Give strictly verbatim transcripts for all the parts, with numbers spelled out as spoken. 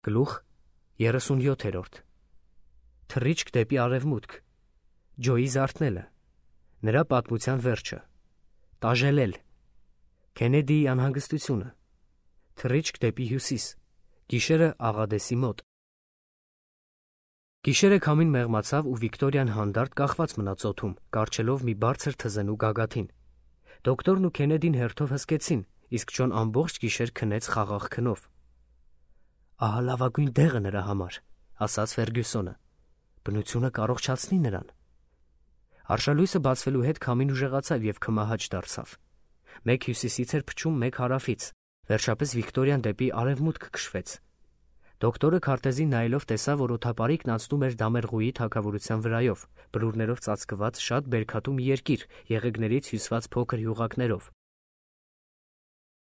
Գլուխ երեսունյոթերորդ Թռիչք դեպի արևմուտք, Ջոյի զարթնելը, նրա պատմության վերջը, տաժելել, Քենեդիի անհանգստությունը, թռիչք դեպի հյուսիս, գիշերը Աղադեսի մոտ։ Գիշերը քամին մեղմացավ ու Վիկտորիան հանդարտ կախված մնաց օդում, կառչելով մի բարձր թզենու գագաթին։ Դոկտորն ու Քենեդին հերթով հսկեցին, իսկ Ջոն ամբողջ գիշեր քնեց խաղաղ քնով։ Ահա լավագույն դեղը նրա համար, ասաց Ֆերգյուսոնը, բնությունը կառողջացնի նրան։ Արշալույսը բացվելու հետ քամին ուժեղացավ և քմահաճ դարձավ։ Մեկ հյուսիսից էր փչում, մեկ հարավից, վերջապես Վիկտորիան դեպի արևմուտք քշվեց։ Դոկտորը քարտեզին նայելով տեսավ, որ օդապարիկն անցնում էր Դամերղուի թագավորության վրայով, բլուրներով ծածկված շատ բերքատու մի երկիր, եղեգներից հյուսված փոքր յուղակներով։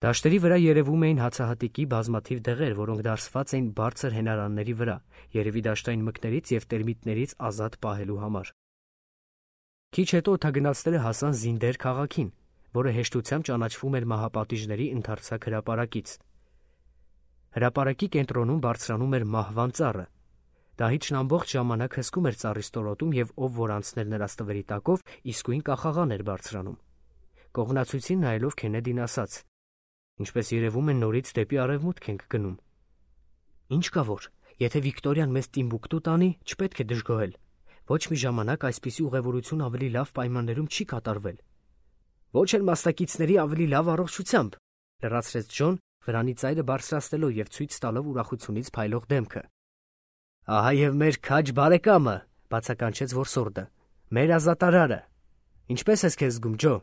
Դաշտերի վրա երևում էին հացահատիկի բազմաթիվ դեղեր, որոնք դարսված էին բարձր հենարանների վրա, երևի դաշտային մկներից և տերմիտներից ազատ պահելու համար։ Քիչ հետո օդագնացները հասան Զինդեր քաղաքին, որը հեշտությամբ ճանաչվում էր մահապատիժների ընդարձակ հրապարակից։ Հրապարակի կենտրոնում բարձրանում էր մահվան ծառը։ Դահիճն ամբողջ ժամանակ հսկում էր ծառի ստորոտում, և ով որ անցներ նրա ստվերի տակով, իսկույն կախաղան էր բարձրանում։ Կողմնացույցին նայելով Քենեդին ասաց. Ինչպես երևում է, նորից դեպի արևմուտք ենք գնում։ Ինչ կա որ, եթե Վիկտորիան մեզ Տիմբուկտու տանի, չպետք է դժգոհել։ Ոչ մի ժամանակ այսպիսի ուղևորություն ավելի լավ պայմաններում չի կատարվել։ Ոչ էլ մասնակիցների ավելի լավ առողջությամբ, լրացրեց Ջոն, վրանի ծայրը բարձրացնելով և ցույց տալով ուրախությունից փայլող դեմքը։ Ահա և մեր քաջ բարեկամը, բացականչեց որսորդը, մեր ազատարարը։ Ինչպես ես քեզ զգում, Ջո։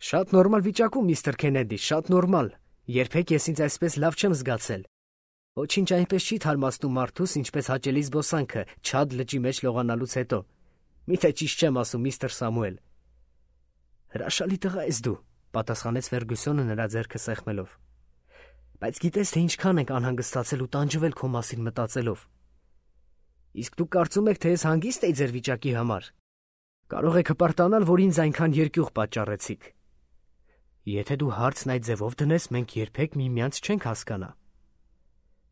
Շատ նորմալ վիճակում, միստր Քենեդի, շատ նորմալ։ Երբեք ես ինձ այսպես լավ չեմ զգացել։ Ոչինչ այնպես չի թարմացնում մարդուս, ինչպես հաճելի զբոսանքը Չադ լճի մեջ լողանալուց հետո։ Միթե ճիշտ չեմ ասում, միստր Սամուել։ Հրաշալի տղա ես դու, պատասխանեց Ֆերգյուսոնը նրա ձեռքը սեղմելով։ Բայց գիտես, թե ինչքան ենք անհանգստացել ու տանջվել քո մասին մտածելով։ Իսկ դուք կարծում եք, թե ես հանգիստ էի ձեր վիճակի համար։ Կարող եք հպարտանալ, որ ինձ այնքան երկյուղ պատճառեցիք։ Եթե դու հարցն այդ ձևով դնես, մենք երբեք միմյանց չենք հասկանա։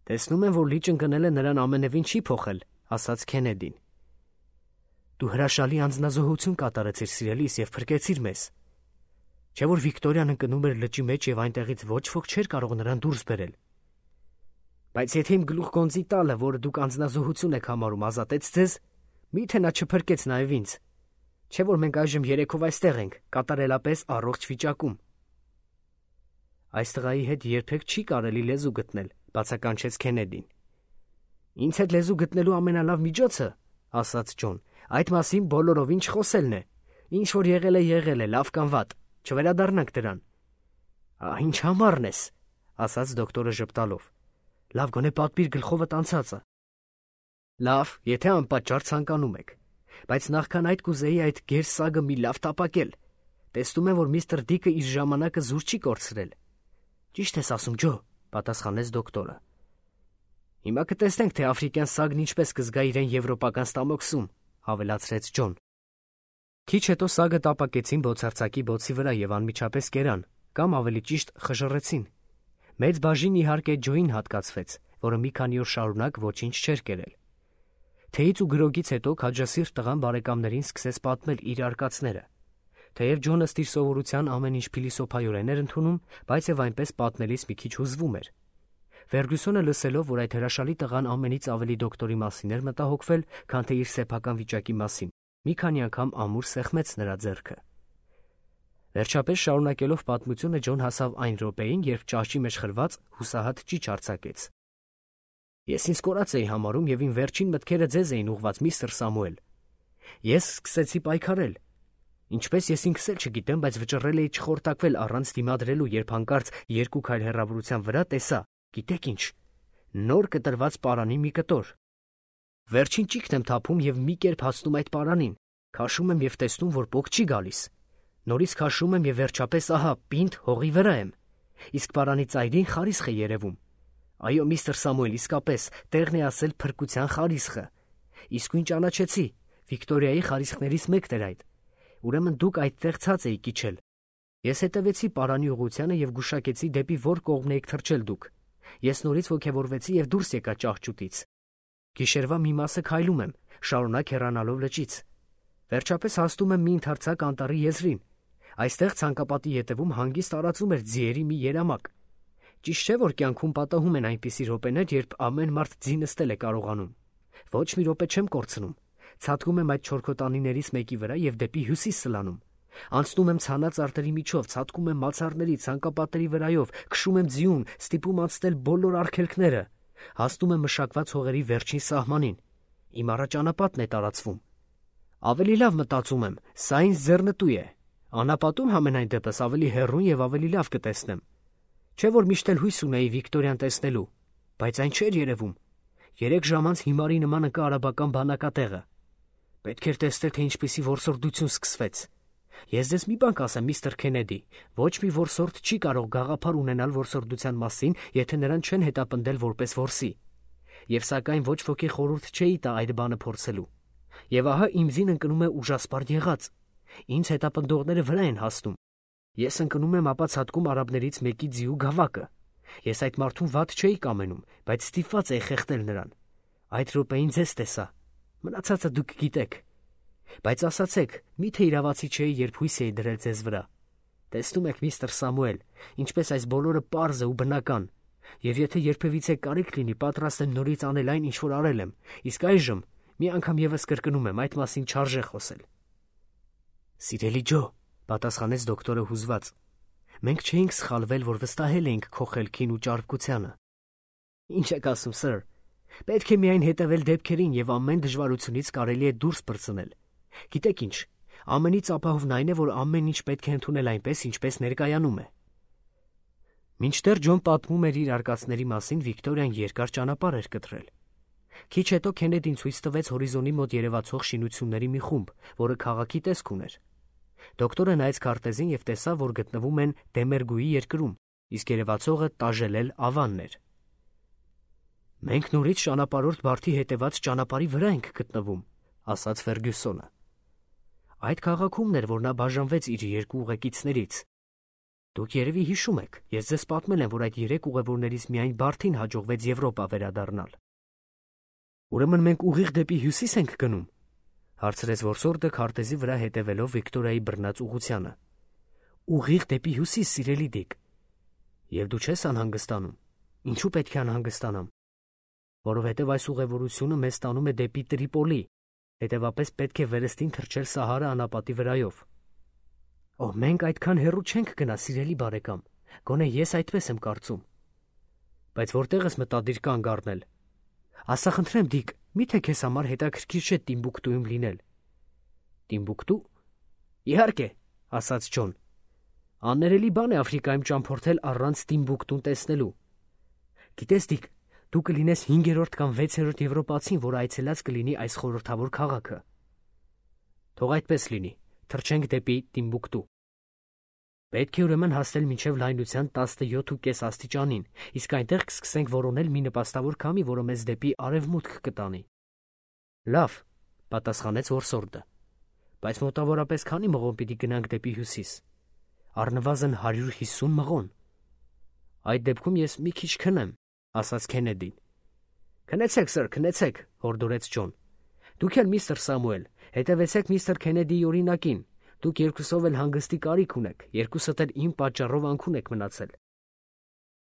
Տեսնում եմ, որ լիճ ընկնելը նրան ամենևին չի փոխել, ասաց Քենեդին։ Դու հրաշալի անձնազոհություն կատարեցիր, սիրելիս, և փրկեցիր մեզ։ Չէ՞ որ Վիկտորիան ընկնում էր լճի մեջ և այնտեղից ոչ ոք չէր կարող նրան դուրս բերել։ Բայց եթե իմ գլուխգոնձի տալը, որը դուք անձնազոհություն եք համարում, ազատեց ձեզ, մի՞թե նա չփրկեց նաև ինձ։ Չէ՞ որ մենք այժմ երեքով այստեղ ենք, կատարելապես առողջ վիճակում։ Այս տղայի հետ երբեք չի կարելի լեզու գտնել, բացականչեց Քենեդին։ Ինձ հետ լեզու գտնելու ամենալավ միջոցը, ասաց Ջոն, այդ մասին բոլորովին չխոսելն է։ Ինչ որ եղել է, եղել է, լավ կամ վատ, չվերադառնանք դրան։ Ահ, ինչ համառն ես, ասաց դոկտորը ժպտալով։ Լավ, գոնե պատմիր գլխովդ անցածը։ Լավ, եթե անպատճառ ցանկանում եք։ Բայց նախքան այդ կուզեի այդ գեր սագը մի լավ տապակել։ Տեսնում եմ, որ միստր Դիկը իր ժամանակը զուր չի կորցրել։ Ճիշտ ես ասում, Ջո, պատասխանեց դոկտորը։ Հիմա կտեսնենք, թե աֆրիկյան սագն ինչպես կզգա իրեն եվրոպական ստամոքսում, ավելացրեց Ջոն։ Քիչ հետո սագը տապակեցին բոցարցակի բոցի վրա և անմիջապես կերան, կամ ավելի ճիշտ խժռեցին։ Մեծ բաժին իհարկե Ջոին հատկացվեց, որը մի քանի օր շարունակ ոչինչ չէր կերել։ Թեյից ու գրոգից հետո քաջասիրտ տղան բարեկամներին սկսեց պատմել իր արկածները։ Թեև Ջոնը ըստ իր սովորության ամեն ինչ փիլիսոփայորեն էր ընդունում, բայց և այնպես պատմելիս մի քիչ հուզվում էր։ Ֆերգյուսոնը լսելով, որ այդ հրաշալի տղան ամենից ավելի դոկտորի մասին էր մտահոգվել, քան թե իր սեփական վիճակի մասին, մի քանի անգամ ամուր սեղմեց նրա ձեռքը։ Վերջապես շարունակելով պատմությունը, Ջոն հասավ այն րոպեին, երբ ճահճի մեջ խրված հուսահատ ճիչ արձակեց։ Ես ինձ կորած էի համարում և իմ վերջին մտքերը ձեզ էին ուղղված, միստր Սամուել։ Ես սկսեցի պայքարել։ Ինչպես ես ինքս էլ չգիտեմ, բայց վճռել էի չխորտակվել առանց դիմադրելու, երբ հանկարծ երկու քայլ հեռավորության վրա տեսա, գիտեք ինչ, նոր կտրված պարանի մի կտոր։ Վերջին ճիգն եմ թափում և մի կերպ հասնում այդ պարանին, քաշում եմ և տեսնում, որ պոկ չի գալիս։ Նորից քաշում եմ և վերջապես ահա պինդ հողի վրա եմ։ Իսկ պարանի ծայրին խարիսխ է երևում։ Այո, միստր Սամուել, իսկապես, տեղն է ասել փրկության խարիսխը։ Իսկույն ճանաչեցի, Վիկտորիայի խարիսխներից մեկն էր այդ։ Ուրեմն դուք այդտեղ ցած էիք իջել։ Ես հետևեցի պարանի ուղղությանը և գուշակեցի, դեպի որ կողմն էիք թռչել դուք։ Ես նորից ոգևորվեցի եւ դուրս եկա ճահճուտից։ Գիշերվա մի մասը քայլում եմ, շարունակ հեռանալով լճից։ Վերջապես հասնում եմ մի ընդարձակ անտառի եզրին։ Այստեղ ցանկապատի ետևում հանգիստ տարածում էր ձիերի մի երամակ։ Ճիշտ չէ, որ կյանքում պատահում են այնպիսի րոպեներ, երբ ամեն մարդ ձի նստել է կարողանում։ Ոչ մի րոպե չեմ կորցնում։ Ցատկում եմ այդ չորքոտանիներից մեկի վրա եւ դեպի հյուսիս սլանում։ Անցնում եմ ցանած արտերի միջով, ցատկում եմ մացառների, ցանկապատերի վրայով, քշում եմ ձիուն, ստիպում անցնել բոլոր արգելքները։ Հասնում եմ մշակված հողերի վերջին սահմանին։ Իմ առաջանապատն է տարածվում։ Ավելի լավ մտածում եմ, սա ինձ ձեռնտու է։ Անապատում համենայն դեպս ավելի հեռուն եւ ավելի լավ կտեսնեմ։ Չէ որ միշտ էլ հույս ունեի Վիկտորիան տեսնելու, բայց այն չէր երևում։ Երեք ժամ անց հիմարի նման ընկա արաբական բանակատեղը։ Պետք էր տեսնել, թե ինչպիսի որսորդություն սկսվեց։ Ես ձեզ մի բան կասեմ, միստր Քենեդի, ոչ մի որսորդ չի կարող գաղափար ունենալ որսորդության մասին, եթե նրան չեն հետապնդել որպես որսի։ Եվ սակայն ոչ ոքի խորհուրդ չէի տա այդ բանը փորձելու։ Եվ ահա իմ ձին ընկնում է ուժասպառ եղած։ Ինձ հետապնդողները վրա են հասնում։ Ես ընկնում եմ ապա ցատկում արաբներից մեկի ձիու գավակը։ Ես այդ մարդուն վատ չէի կամենում, բայց ստիպված էի խեղդել նրան։ Այդ րոպեին ձեզ տեսա։ Մնացածը դուք գիտեք։ Բայց ասացեք, միթե իրավացի չէի, երբ հույս էի դրել ձեզ վրա։ Տեսնում եք, միստր Սամուել, ինչպես այս բոլորը պարզ է ու բնական։ Եվ եթե երբևիցե կարիք լինի, պատրաստ եմ նորից անել այն, ինչ որ արել եմ, իսկ այժմ մի անգամ եւս կրկնում եմ, այդ մասին չարժե խոսել։ Սիրելի Ջո, պատասխանեց դոկտորը հուզված։ Մենք չէինք սխալվել, որ վստահել էինք քո խելքին ու ճարպկությանը։ Ինչ եք ասում, սըր։ Պետք է միայն հետևել դեպքերին եւ ամեն դժվարությունից կարելի է դուրս պրծնել։ Գիտեք ինչ, ամենից ապահովն այն է, որ ամեն ինչ պետք է ընդունել այնպես, ինչպես ներկայանում է։ Մինչդեռ Ջոն պատմում էր իր արկածների մասին, Վիկտորիան երկար ճանապարհ էր կտրել։ Քիչ հետո Քենեդին ցույց տվեց հորիզոնի մոտ երևացող շինությունների մի խումբ, որը քաղաքի տեսք ուներ։ Դոկտորը նայեց քարտեզին եւ տեսավ, որ գտնվում են Դեմերգուի երկրում, իսկ երևացողը Տաժելել ավանն էր։ Մենք նորից ճանապարհորդ Բարթի հետևած ճանապարհի վրա ենք գտնվում, ասաց Ֆերգյուսոնը։ Այդ քաղաքումն էր, որ նա բաժանվեց իր երկու ուղեկիցներից։ Դուք երևի հիշում եք, ես ձեզ պատմել եմ, որ այդ երեք ուղևորներից միայն Բարթին հաջողվեց Եվրոպա վերադառնալ։ Ուրեմն մենք ուղիղ դեպի հյուսիս ենք գնում, հարցրեց որսորդը քարտեզի վրա հետևելով Վիկտորիայի բռնած ուղղությանը։ Ուղիղ դեպի հյուսիս, սիրելի Դիկ։ Եվ դու չես անհանգստանում։ Ինչու պետք է անհանգստանամ։ Որովհետև այս ուղևորությունը մեզ տանում է դեպի Տրիպոլի, հետևապես պետք է վերստին թռչել Սահարա անապատի վրայով։ Օ, մենք այդքան հեռու չենք գնա, սիրելի բարեկամ, գոնե ես այդպես եմ կարծում։ Բայց որտեղ ես մտադիր կանգ առնել։ Ասա խնդրեմ, Դիկ, միթե քեզ համար հետաքրքիր չէ Տիմբուկտուում լինել։ Տիմբուկտու։ Իհարկե, ասաց Ջոն։ Աններելի բան է Աֆրիկայում ճամփորդել առանց Տիմբուկտուն տեսնելու։ Գիտես, Դիկ, դու կլինես հինգերորդ կամ վեցերորդ եվրոպացին, որ այցելած կլինի այս խորհրդավոր քաղաքը։ Թող այդպես լինի, թռչենք դեպի Տիմբուկտու։ Պետք է ուրեմն հասնել մինչև լայնության տասնյոթ ու կես աստիճանին, իսկ այնտեղ կսկսենք որոնել մի նպաստավոր քամի, որը մեզ դեպի արևմուտք կտանի։ Լավ, պատասխանեց որսորդը։ Բայց մոտավորապես քանի մղոն պիտի գնանք դեպի հյուսիս։ Առնվազն հարյուր հիսուն մղոն։ Այդ դեպքում ես մի քիչ քնեմ, ասաց Քենեդին։ Քնեցեք, սըր, քնեցեք, հորդորեց Ջոն։ Դուք էլ միստր Սամուել, հետևեցեք միստր Քենեդիի օրինակին։ Դուք երկուսով էլ հանգստի կարիք ունեք, երկուսդ էլ իմ պատճառով անքուն եք մնացել։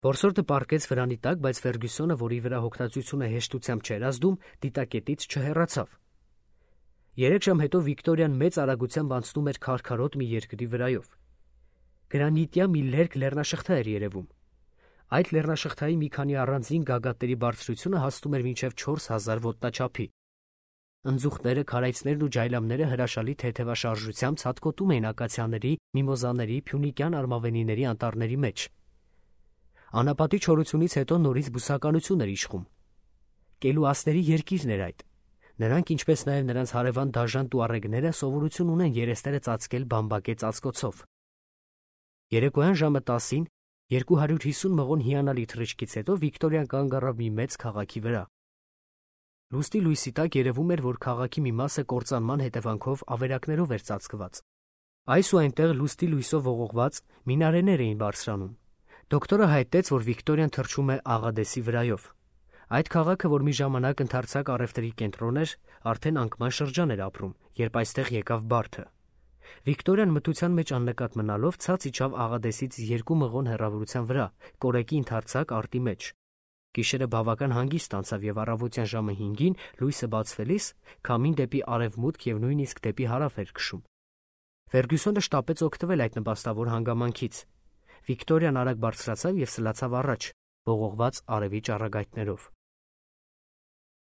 Որսորդը պառկեց վրանի տակ, բայց Ֆերգյուսոնը, որի վրա հոգնածությունը հեշտությամբ չէր ազդում, դիտակետից չհեռացավ։ Երեք ժամ հետո Վիկտորիան մեծ արագությամբ անցնում էր քարքարոտ մի երկրի վրայով։ Գրանիտյա մի լերկ լեռնաշղթա էր երևում։ Այդ լեռնաշղթայի մի քանի առանձին գագաթների բարձրությունը հասնում էր մինչև չորս հազար ոտնաչափի։ Ընձուղտները, քարայծներն ու ջայլամները հրաշալի թեթևաշարժությամբ ցատկոտում էին ակացիաների, միմոզաների, փյունիկյան արմավենիների անտառների մեջ։ Անապատի չորությունից հետո նորից բուսականություն էր իշխում։ Կելուասների երկիրն էր այդ։ Նրանք, ինչպես նաև նրանց հարևան դաժան տուարեգները, սովորություն ունեն երեսները ծածկել բամբակե ծածկոցով։ Երեկոյան ժամը տասին, երկու հարյուր հիսուն մղոն հիանալի թռիչքից հետո Վիկտորիան կանգ առավ մի մեծ քաղաքի վրա։ Լուստի լույսի տակ երևում էր, որ քաղաքի մի մասը կործանման հետևանքով ավերակներով էր ծածկված։ Այս ու այնտեղ լուստի լույսով ողողված մինարեներ էին բարձրանում։ Դոկտորը հայտնեց, որ Վիկտորիան թռչում է Աղադեսի վրայով։ Այդ քաղաքը, որ մի ժամանակ ընդարձակ առևտրի կենտրոն էր, արդեն անկման շրջան էր ապրում, երբ այստեղ եկավ բարդը։ Վիկտորիան մթության մեջ աննկատ մնալով ցած իջավ Աղադեսից երկու մղոն հեռավորության վրա, կորեկի ընդարձակ արտի մեջ։ Գիշերը բավական հանգիստ անցավ և առավոտյան ժամը հինգին լույսը բացվելիս քամին դեպի արևմուտք և նույնիսկ դեպի հարավ էր քշում։ Ֆերգյուսոնը շտապեց օգտվել այդ նպաստավոր հանգամանքից։ Վիկտորիան արագ բարձրացավ և սլացավ առաջ, ողողված արևի ճառագայթներով։